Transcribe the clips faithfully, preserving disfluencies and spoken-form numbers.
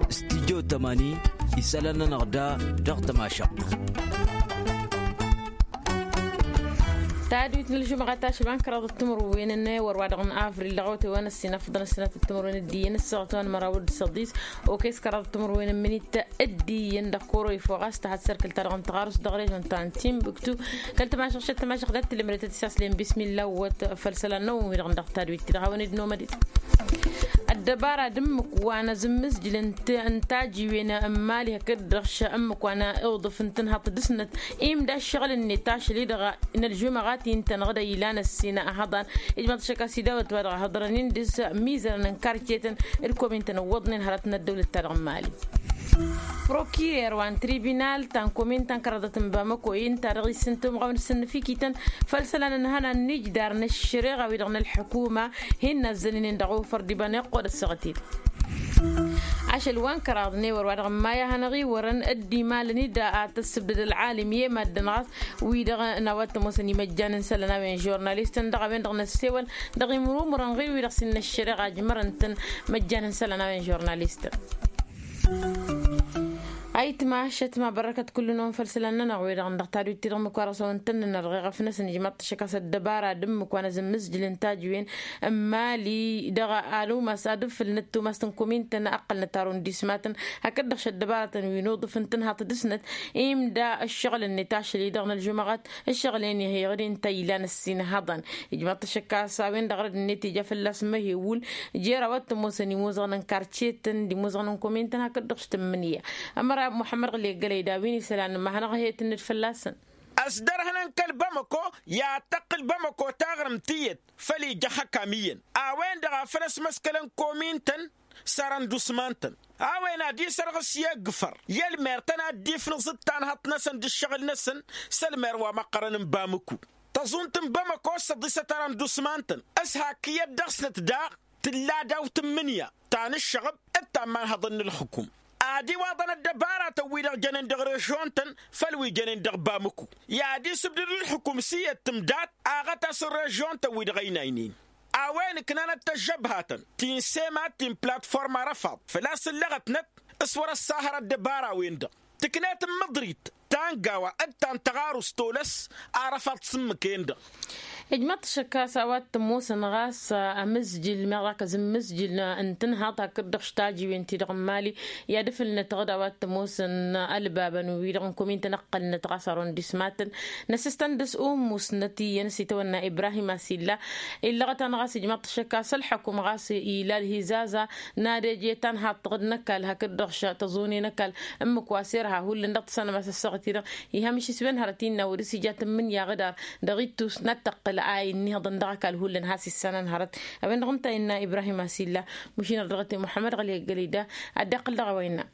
Stidyo tămani isălan-nănăɣ da dăɣ-tămašăɣt. Tadwit n-ălžumăɣa tašba n-kăraḍ d-timǝrwen n-ewăr wa dăɣ-n avril dăɣ-awătay wa n-ăssin afḍăn ăssinat d-timǝrwen d-iyyăn ăssaɣăt wa n-măraw d-săḍis. Okăy s-kăraḍ d-timǝrwen n-imǝnit d-iyyăn dăɣ-koro ifo ɣas tăhat sărkǝl-ta-dăɣ n-tăɣarust dăɣ-režon ta n-timbuktu. Kăl-tămašăɣ šăt tămašăɣ dat-tǝlmǝrătăt isaslăyăn bismilla wăt făll-isălan n-awǝn-wi-dăɣ dăɣ-tadwit-ti-dăɣ hawăn-dd nomădit. Ăddăbara d-ǝmmǝk wa n-azǝmmǝzjǝl n-tajiwen n-imali hakd-dăɣ š-ǝmmǝk wa n-iwḍǝf n-tǝnhaḍt d-ǝsnăt imda ǝššăɣǝl-net ašăl-i-dăɣ n-ălžumăɣat-i ǝntănăɣ d-ilan ăssin ăhăḍan. Ijmăḍ ašăk a-s idawăt wa dăɣ-hăḍrăn-in dăr-s mizărăn n-karcetăn d-komintăn ǝwwăḍnen hărăt n-ăddăwlăt-ta-dăɣ n-imali. Prokirer wa n-tribinal ta n-komintăn kăraḍăt n-bamăko-i ǝnta dăɣ-isǝntum ɣawăn-sǝnnǝfikităn făll-isălan n-ihănan n-ijdar n-ăššăreɣa-wi-dăɣ n-ălḥukuma. Hin-nazzăninen dăɣ-ufăr d-iba n-iqqod ăssaɣăt-i-dăɣ. Ašăl wa n-kăraḍ n-ewăr wa dăɣ-n maya hanăɣ-iwărăn dd-imalăn-i da ad-tăssǝbdăd ălɣalim i-maddǝn ɣas wi-dăɣ n-a-wa t-ămoosăn imăjjan n-isălan a-wen žurnalistăn dăɣ-a-wen-dăɣ n-ăssewăl dăɣ-imrumrăn ɣir-wi-dăɣ s-innă ăššăreɣa ăjmărăn-tăn. Măjjan n-isălan a-wen žurnalistăn. Ayǝtma šătma bărrăkăt kullu-năwăn făll-isălan-nănăɣ wi-dăɣ n-dăɣ tadwit-ti-dăɣ ǝmmǝk wa dăɣ-s a-wen tăn-nănăr ɣeɣăf-năsăn ijmaḍ-t ašăk a-s ăddăbara d-ǝmmǝk wa n-azǝmmǝzjǝl n-tajǝwen n-imali dăɣ-ad-umas ad-ǝfǝlnăt tumast n-komintăn ăqqălnăt arundismatăn hakd-dăɣ šăddăbaratăn wi n-uḍǝf n-tǝnhaḍt dăɣ-snăt imda ǝššăɣǝl-net ašăl-i-dăɣ n-ălžumăɣăt. Ǝššăɣǝl-en ihăyăɣ-dd inta ilan ăssin ihăḍăn ijmaḍ-t ašăk a-s a-wen-dăɣ rădd-net ija fălla-s măhewul jer-a-wa t-ămoosăn imuzăɣăn n-karcetăn d-imuzăɣăn n-komintăn hakd-dăɣ s-tǝmmǝnǝya. Ămăra muḥămmăd ɣǝl eggălăy d-a-wi n-isălan ămahănăɣ ăhhăyăt-net fălla-săn. Ăsdărhǝnăn kăl-bamăko i-ad-tăqqǝl bamăko taɣrǝmt tiyyăt făll-ija ăxăkam iyyăn a-wen-dăɣ a făl ăsmăskălăn komintăn s-arăndusman-tăn a-wen ad-isărɣǝs i-eggǝfăr i-ălmer-tăn ad-dd-ifnǝẓǝd tanhăḍt-năsăn d-ǝššăɣǝl-năsăn. S-ălmer wa măqqărăn n-bamăko tăẓunt n-bamăko s-ăḍisăt arăndusman-tăn s-hak iyyăt dăɣ-snăt daɣ tǝlla daw-tǝmmǝnǝya ta n-ǝššăɣǝb d-ta n-iman hăḍăn n-ǝlxǝkum ad-iwaḍăn ăddăbaratăn-wi-dăɣ jănen dăɣ-režion-tăn făll-wi jănen dăɣ-bamǝku i-ad-isǝbdǝd ǝlxǝkum s-iyyăt tǝmdat aɣătas n-režion-tăn-wi-dăɣ ăynaynen a-wen ǝknanăt tăžžăbhatăn ti n-sema ti n-platform arăfaḍ făl-a-s ǝllăɣătnăt s-wăr-ăssahăr ăddăbara-wen-dăɣ tǝknet n-mǝḍrit ta n-gawa d-ta n-tăɣarust tolăs arăfaḍ s-ǝmmǝk-en-dăɣ. Ijmăḍ-t ašăk a-s a-wa t-ămoosăn ɣas amǝzjǝl meɣ ɣak azǝmmǝzjǝl n-tǝnhaḍt hakd-dăɣ štajiwen-ti-dăɣ n-mali i-ad-ǝfǝlnăt ɣǝd a-wa t-ămoosăn ălbabăn-wi-dăɣ n-komintăn ǝqqălnăt ɣas arondismatăn năsǝstăn dăr-s umusnăt iyyăn s-itawănna ibrahim asilla. Illăɣăt-anăɣ a-s ijmăḍ-t ašăk a-s ălḥăkum ɣas ila ălhizaza n-ad-eje tanhaḍt-dăɣ d-năkall hakd-dăɣ tăẓune n-ăkall ǝmmǝk wa s-irha hullan dăɣ-tăsănăma s-ăssaɣăt-i-dăɣ. Ihăm išiswen hărăt innă wăr-s ija tǝmmǝnǝya ɣǝdar dăɣ-ittus n-ad-tăqqǝl a innă ihăḍăn dăɣ-ăkall hullan has-issanăn hărăt. A-wen-dăɣ ǝnta a innă ibrahim asilla. Măšin ărdăɣăt i-muḥămmăd ɣăli ăggălăy da ad-dd-iqqǝl dăɣ-a-wa innă.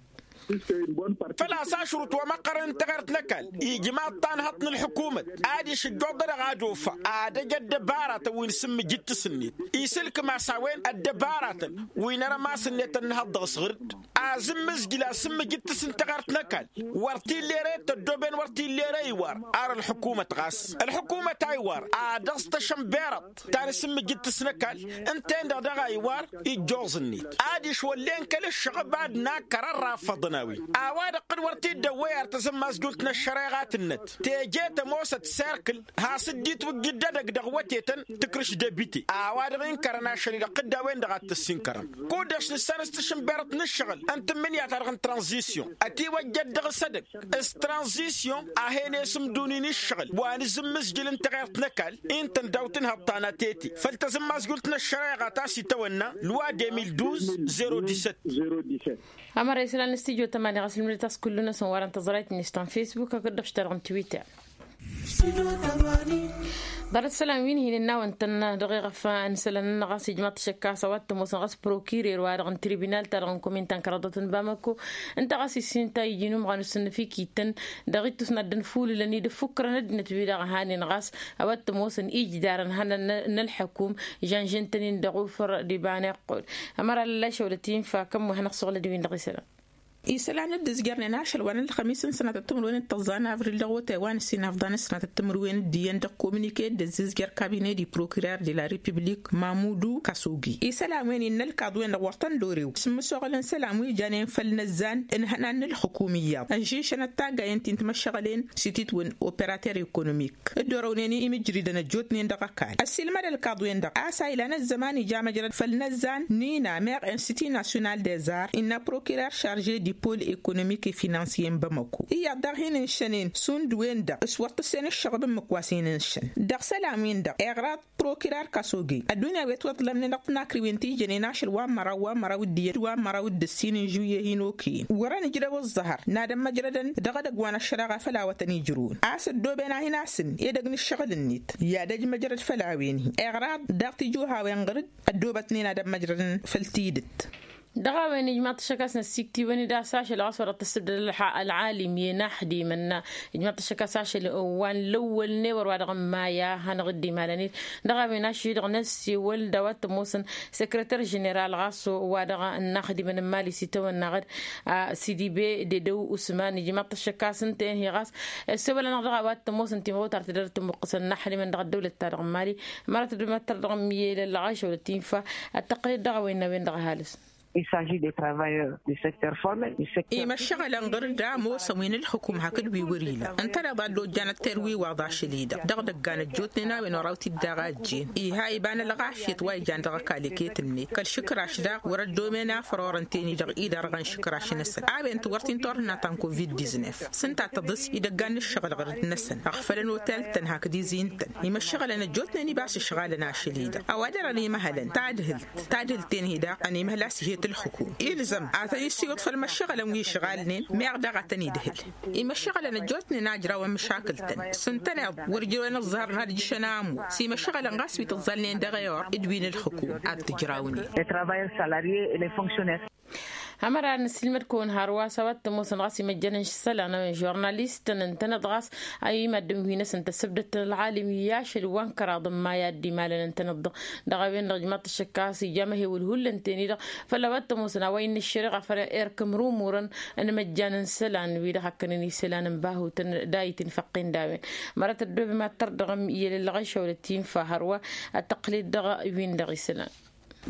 Făl-a-s ašrut wa măqqărăn n-taɣert n-ăkall ijmaḍ-t anhăḍt n-ălḥukumăt ad-išǝjjoḍ-dăɣ ad-ofa ad-ăj ăddăbaratăn wi n-sǝmmǝjǝttǝs-net isǝlkǝm a-s a-wen ăddăbaratăn wi n-arămas-net ănnăhăḍ dăɣ-s ɣǝr-dd. Azǝmmǝzjǝl asǝmmǝjǝttǝs n-taɣert n-ăkall wăr t-illa ere tăddoben wăr t-illa ere iwar ar ălḥukumăt ɣas ălḥukumăt a iwar ad-ăẓ tašănberăḍt ta n-asǝmmǝjǝttǝs n-ăkall. Ǝnta-en-dăɣ daɣ a iwar ijjoẓ-net ad-išwăllen kăl-ǝššăɣăb-ad-nakăr ărrafăḍăn a-wen a-wa dăɣ-tǝd wăr t-dd-ăwwăy ar tazǝmmazjult n-ăššăreɣa tǝnnăt teje tămoosăt serkǝl has-dd-itwǝjjǝd edăgg dăɣ-wătetăn tǝkrǝš debite a-wa dăɣ-inkărăn ašăl-i-dăɣ tǝdda a-wen-dăɣ ad-tăssinkărăm kud-dăɣ s-nǝssan s-tašǝnberăḍt n-ǝššăɣǝl ăntǝmmǝnǝya-ta-dăɣ n-tranzisyon ătiwăjjăt dăɣ-s edăgg s-tranzisyon a hen-esǝmdun-in ǝššăɣǝl wa n-azǝmmǝzjǝl n-taɣert n-ăkall. Intăn daw-tǝnhăḍ ta n-atete făll-tazǝmmazjult n-ăššăreɣa ta s-itawănna lwa deux mille douze zéro dix-sept. Ămăra isălan n-studyo tămani ɣas ǝlmǝdăt a-s kullu-năsăn wa dăɣ-n tăẓrayt-net ta n-facebook hakd-dăɣ s-ta-dăɣ n-twitter. Ḍarăt isălan wi n-hin-ǝnnawăn-tăn dăɣ-eɣăf n-isălan-nănăɣ ɣas ijmaḍ-t ašăk a-s a-wa t-ămoosăn ɣas prokirer wa dăɣ-n tribinal-ta-dăɣ n-komintăn kăraḍăt n-bamăko ǝnta ɣas issin ta iji n-umɣan usǝnnǝf-ikităn dăɣ-ittus n-ad-dd-ănfulǝlăn i-dd-ăffukrăn ăddinăt-wi-dăɣ ăhanen ɣas a-wa t-ămoosăn ijdarăn hănăn n-ălḥăkum žănžăn-tăn-in dăɣ-ufăr d-iba n-iqqud. Ămăra lălla išăwlăt infa kămm-wa hanăɣ-suɣǝl d-win-dăɣ isălan. Isălan dd-ǝzjărnen ašăl wa n-ălxămis n-sănatăt timǝrwen d-tăẓẓa n-avril dăɣ-otay wa n-ǝssin afḍan s-sănatăt timǝrwen d-iyyăn dăɣ-kominike dd-ăzzizjăr kabine di prokirar de la republik mamudu kasogi isălan wen innă ălkaḍ-wen-dăɣ wăr tăn-dd-orew s-imǝsoɣăl n-isălan wi janen făll-inăzzan n-ihănan n-ǝlxǝkum iyyăḍ ănžišănăt taggayen ti n-timăššăɣălen s-ititwǝn operater ekonomik dd-orăwnen imǝjridăn ăjjootnen dăɣ-ăkall ăssiilmăd ălkaḍ-wen-dăɣ a-s a ilan ăzzăman ija măjrăd făll-inăzzan n-ina meɣ institut national des arts innă prokirar šarže di pol ekonomik e finansiye n-bamako iyyăḍ daɣ hin-ǝnšănen šund-wen-dăɣ s-wăr tǝssen ǝššăɣǝb ǝmmǝk wa s-hin-ǝnšăn dăɣ-isălan-win-dăɣ eɣraḍ prokirar kasogi ăddunya wi ătwăḍlămnen dăɣ-tǝnakriwen ti jănen ašăl wa n-măraw wa n-măraw d-iyyăt wa n-măraw d-ǝssin n-žuyye hin-okăyăn wăr-ănǝjrăw ăẓẓăhăr n-ad-ămmăjrădăn dăɣ-edăgg wa n-ăššăreɣa făll-awătăn ijrǝwăn a-s ăddooben a hin-asǝnn edăgg n-ǝššăɣǝl-net i-ad-ăj măjrăd făll-a-wen-hi eɣraḍ daɣ tijuhawen ɣǝr-dd ăddoobătnen ad-ămmăjrădăn făll-tidǝt. Dăɣ-a-wen ijmaḍ-t ăššăk a-s năssiktǝwăn-dd a-s ašăl ɣas wăr-ăttăssǝbdăd ălxalim i-naxdimăn. Ijmaḍ-t ăššăk a-s ašăl wa n-lăwwăl n-ewăr wa dăɣ-n maya hanăɣ-dd-imalăn-dd dăɣ-a-wen ašăl-i-dăɣ năssewăl d-a-wa t-ămoosăn sekreter ženeral ɣas wa dăɣ-naxdimăn n-imali s-itawănnaɣ-dd a sidibe dedăw usman ijmaḍ-t ăššăk a-s ǝnta-en-hi ɣas ăssewăl-anăɣ dăɣ-a-wa t-ămoosăn timɣutar tǝdăr tǝmmuqqǝsăn naxdimăn dăɣ-ăddăwlăt-ta-dăɣ n-imali. Mărat ăddumatăr dăɣ-miyel ălɣašăwlăt infa ăttăqqǝlăt dăɣ-a-wen n-a-wen-dăɣ ăhalǝs. Il s'agit des travailleurs du secteur formel du secteur imăššăɣălăn ɣǝr-dd a ămoosăn wi n-ǝlxǝkum hakd wi wăr-ila ǝntăneḍ a dd-ojjan ătter wi waḍ ašăl-i-dăɣ dăɣ-idăggan ăjjootnen a-wen oraw t-dd-aɣ a ăjjeen iha iba n-ălɣafyăt wa ijan dăɣ-ăkall iket-net kăl-išǝkraš daɣ wăr-ăddomen afăr orăn ten-i-dăɣ idarɣăn išǝkraš-năsăn a-wen-t wăr t-in-turhǝnna ta n-covid-diznef s-ǝnta tăḍǝs idăggan n-ǝššăɣǝl ɣǝr-dd-năsăn ăɣfălăn otel-tăn hakd izin-tăn imăššăɣălăn ăjjootnen ibas ǝšɣalăn ašăl-i-dăɣ ăwadărăn imăhălăn tadhǝlt tadhǝlt-en-hi daɣ ănimhăl a-s ihet ǝlxǝkum ilzăm ad-tăn-issiwǝḍ făll-imăššăɣălăn wi ǝšɣalnen meɣ daɣ ad-tăn-idhǝl imăššăɣălăn ăjjootnen a ǝjrawăn măšakǝl-tăn s-ǝntăneḍ wăr ǝjrăwăn ǝẓẓăhărăn ad-ǝjjǝšăn a ămoos imăššăɣălăn ɣas wi tǝẓẓalnen dăɣ-e-or d-wi n-ǝlxǝkum ad-t-ǝjrawnen. Les travailleurs salariés et les fonctionnaires. Ămăra nǝsilmăd-kăwăn hărwa s-a-wa t-ămoosăn ɣas imăjjăn n-isălan a-wen žurnalistăn ǝntăneḍ ɣas a i-maddǝn wi-năsăn tăssăbdăt ălɣalim i-ašăl wa n-kăraḍ n-maya a dd-imalăn ǝntăneḍ-dăɣ dăɣ-a-wen-dăɣ ǝjmaḍ-t ăššăk a-s ija amăhewǝl hullan-ten-i-dăɣ făll-a-wa t-ămoosăn a-wa innă ăššăreɣa făll-erk ǝmrumurăn n-imăjjan n-isălan wi-dăɣ hakkănen isălan n-bahutăn d-a itinfăqqen d-a-wen. Mărăt ăddoobe mad-tărdăɣăm i-elălɣăšăwlăt infa hărwa ad-tăqqǝlet dăɣ-win-dăɣ isălan.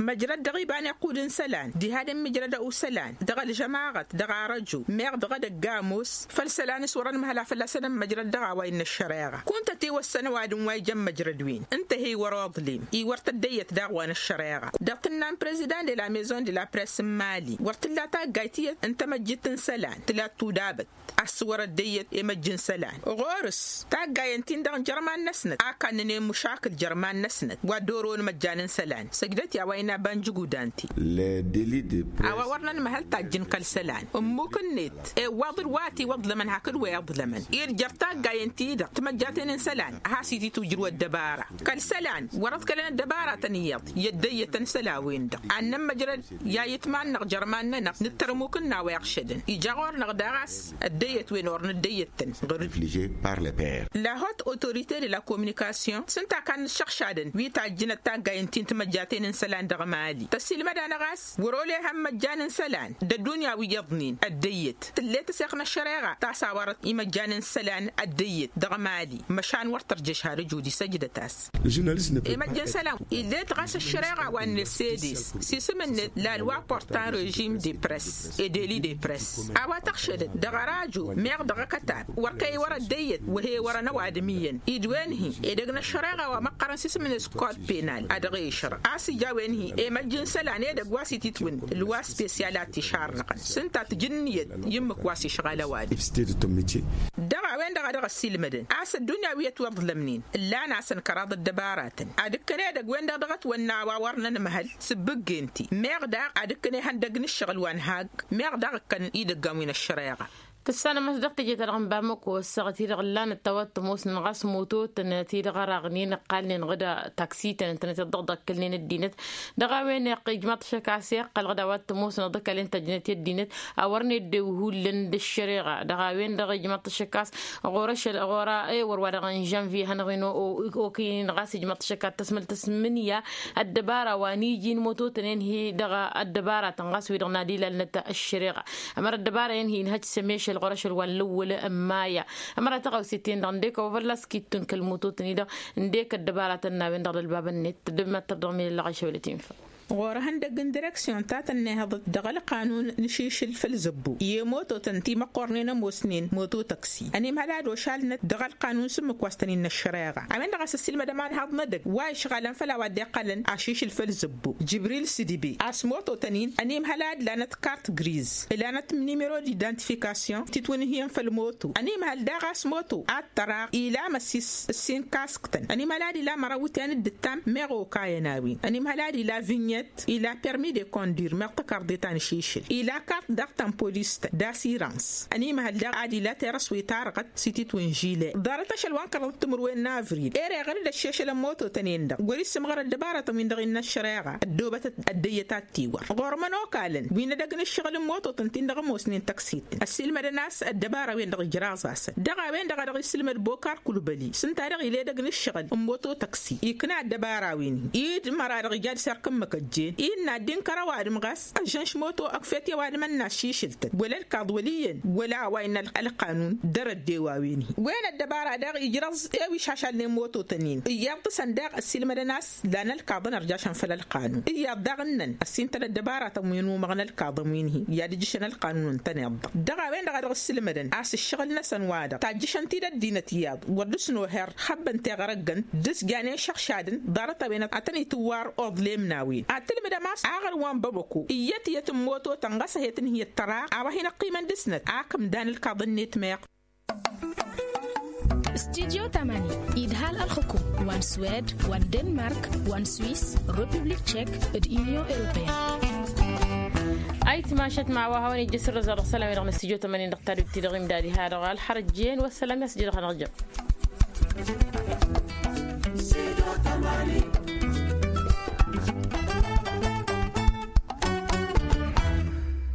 Măjrăd dăɣ-iba n-iqqud n-isălan diha d-immǝjrăd usălan dăɣ-ălžămaɣăt dăɣ-arăju meɣ dăɣ-edăgg ămoos făll-isălan s-wăr-ănmăhăl a fălla-săn ămmăjrăd dăɣ-a-wa innă ăššăreɣa kunta tiwăssăn ăwadǝm wa ijăn măjrăd-win ǝnta he-i wăr-oḍlem i-wăr tăddăyyăt daɣ wa n-ăššăreɣa. Dăɣ-tǝnna n-prezidan de la maison de la press n-mali wăr t-tǝlla taggayt tiyyăt n-tamăjjit n-isălan tǝla tudabăt a-s wăr-ăddăyyăt i-măjj n-isălan ɣur-s taggayen-tin-dăɣ n-jărman-năsnăt a kannăn i-măšakǝl jărman-năsnăt wa dd-orăwăn imăjjan n-isălan săjdăt i-a-wa innă banjǝgudan-ti. A-wa wăr nănmăhăl tajjǝn kăl-isălan ǝmmuk-net iwwaḍ-dd wa ătiwăḍlămăn hakd wa iḍlămăn irjăr taggayen-ti-dăɣ timăjjaten n-isălan a has-ititujrǝw ăddăbara kăl-isălan wăr-ăḍkălăn ăddăbaratăn iyyăḍ i-ăddăyyătăn isălan-wen-dăɣ ad-nămmăjrăd i-ayǝtman-năɣ jărman-nănăɣ nǝttărmuk n-a-wa iɣšădăn ija ɣur-năɣ daɣ a-s ăddăyyăt-wen or n-ăddăyyăt-tăn ɣǝr-dd. La haute autorité de la communication s-ǝnta a kannăššăɣšadăn wi tajjǝnăt taggayen-ti n-timăjjaten n-isălan dăɣ-mali tăsilmăd-anăɣ a-s wăr-olehăn imăjjan n-isălan d-ăddunya wi iyyăḍnen ăddăyyăt tǝllet aseɣ n-ăššăreɣa ta s-a-wa arăt imăjjan n-isălan ăddăyyăt dăɣ-mali măšan wăr tărjăš har ǝjud isăjdăt-as. Imăjj n-isălan illet ɣas ăššăreɣa wa n-năssedes s-isǝm-net la loi portant régime de press et délit de press a-wa tăɣšădăt dăɣ-ăraju meɣ dăɣ-akătab wăr kăy-wăr ăddăyyăt wăhe wărăn ăwadǝm iyyăn idwen-hi edăgg n-ăššăreɣa wa măqqărăn s-isǝm-net code pénal a dăɣ-ešăr a-s ija a-wen-hi imăjj n-isălan edăgg wa s-ititwǝn loi spesyal a t-išarnăɣăn s-ǝnta tǝjǝnnǝyăt i-ǝmmǝk wa s-išɣal ăwadǝm. Dăɣ-a-wen-dăɣ a dăɣ-ăssiilmădăn a-s ăddunya wi ătwăḍlămnen ǝllan-asăn kăraḍ ăddăbaratăn ad-ǝkkăn edăgg-wen-dăɣ dăɣ-ătwănna a-wa wăr nănmăhăl s-ǝbbǝggen-ti meɣ daɣ ad-ǝkkăn ihăndăgg n-ǝššăɣǝl wa n-hagg meɣ daɣ ǝkkăn idăggan wi n-ăššăreɣa. Tǝssanăm a-s dăɣ-teje-ta-dăɣ n-bamăko ăssaɣăt-i-dăɣ ǝllanăt tawat tămoosnen ɣas mototăn ti-dăɣ ărăɣnen ǝqqalnen ɣǝd taksităn ǝntănăt i-dd-ăḍḍăkkălnen ăddinăt. Dăɣ-a-wen iqqăl ijmaḍ-t ašăk a-s iqqăl ɣǝd a-wa t-ămoosnen ăḍḍăkkălen tăjjnăt i-ăddinăt a wărăn eddew hullan d-ăššăreɣa. Dăɣ-a-wen-dăɣ ijmaḍ-t ašăk a-s ɣur-ăššăl ɣur-a ewăr wa dăɣ-n žănvye hanăɣ-in okinăɣ a-s ijmaḍ-t ašăk a t-tăsmăl tăsmǝnǝya ăddăbara wa n-iji n-mototăn-en-hi dăɣ-ăddăbaratăn ɣas wi-dăɣ n-ad-ilalnăt ăššăreɣa. Ămăra ăddăbara-en-hi inhăj s-emešăl ɣur-ašăl wa n-lăwwăl n-maya. Ămăra taɣăwse-ten-dăɣ ǝndek ăwăvălla s-kittun kăl-mototăn-i-dăɣ ǝndek ăddăbaratăn n-a-wen-dăɣ d-ălbabăn-net. Dd-măttăr dăɣ-milăɣ ašăwălăt infa. Ɣur-ehăndăgg n-direksyon ta tănnehăḍăt dăɣ-ălqanun n-ašišǝl făll-zăbbu i-mototăn timăqqornen ămoosnen moto tăksi ănimhăl ad-ošalnăt dăɣ-ălqanun s-ǝmmǝk wa s-tăn-innă ăššăreɣa. A-wen-dăɣ a-s ăssiilmădăm ad-haḍnădăgg wa išɣalăn făll-a-wa dd-iqqălăn ašišǝl făll-zăbbu jibril s-idbi a-s mototăn-in ănimhăl a dd-lanăt kart griz. Ilanăt n-nimero d-identifikasyon titwǝnhǝyăn făll-moto ănimhăl daɣ a-s moto ad-tăraɣ ila măssis ǝssin kasktăn ănimhăl ad-ila măraw ǝtyan d-ǝttam meɣ okayăn a-wen ănimhăl ad-ila vinyet ila permi de konduir meɣ tăkarḍe ta n-ašišǝl ila kart daɣ ta n-polis-tăn d-asirans. Ănimhăl daɣ ad-ila terăswet arɣăt s-ititwǝn žile ḍarăt ašăl wa n-kăraḍăt timǝrwen n-avril ere iɣăr-dd ăššešăl n-mototăn-en-dăɣ wăr-issǝmɣăr ăddăbarătăn-win-dăɣ innă ăššăreɣa ăddoobătăt ăddăyyăt ad-tiwăr ɣur-mănokal-ǝn wi n-edăgg n-ǝššăɣǝl n-mototăn-tin-dăɣ ămoosnen tăksit ăssiilmădăn a-s ăddăbara-wen-dăɣ ijraẓ-asăn dăɣ-a-wen-dăɣ a dăɣ-isǝlmăd bokar kulbăli s-ǝnta-dăɣ ila edăgg n-ǝššăɣǝl n-moto tăksit ikna ăddăbara-wen-hi dd-măra dăɣ-ija d-serk n-imăkăjjen inn'-ad dd-inkăr ăwadǝm ɣas ăžžănš moto ăkfet i-ăwadǝm ănnaššišǝl-tăn wăla ălkaḍ wăl' iyyăn wăla a-wa innă ălqanun dăr-ăddew a-wen-hi. Wen ăddăbara daɣ ijrăẓ i-wi šašalnen mototăn-in iyyăḍ tǝsăn daɣ ăssiilmădăn a-s lan ălkaḍăn ărjašăn făll-ălqanun iyyăḍ daɣ ǝnnăn ăssintăn ăddăbaratăn wi n-umăɣ n-ălkaḍăn wi n-hi i-ad-ǝjjǝšăn ălqanun ǝntăneḍ-dăɣ. Dăɣ-a-wen-dăɣ a dăɣ-ǝssǝlmădăn a-s ǝššăɣǝl-năsăn-wa-dăɣ tajjǝšăn-t-dd ăddinăt iyyăḍ wăr dd-snoher xăbbăn teɣăr ăggăn d-ǝsjanen šăɣšadăn ḍarăt-a-wen ătăn-itǝwwar oḍlem n-a-wen ad-tǝlmǝdăm a-s aɣăr wa n-băbăko iyyăt iyyăt n-mototăn ɣas ăhet ǝnhǝyăt tăra a-wa hin-ăqqimăn dăr-snăt. Ak ǝmdan ǝlkaḍăn-net meɣ. Studyo tamani idhal ălxukum wa n-swed wa n-denmark wa n-swis, republik tchek d-unyon europeen. Ayǝtmašăt ma wa hawăn-ijjăs ǝrrăza dăɣ-isălan-wi-dăɣ n-studyo tamani dăɣ-tadut-ti-dăɣ imdad iha dăɣ-alxărăjjen wa ăssălam i-a-s ǝjǝdăɣ hanăɣ-jăɣ.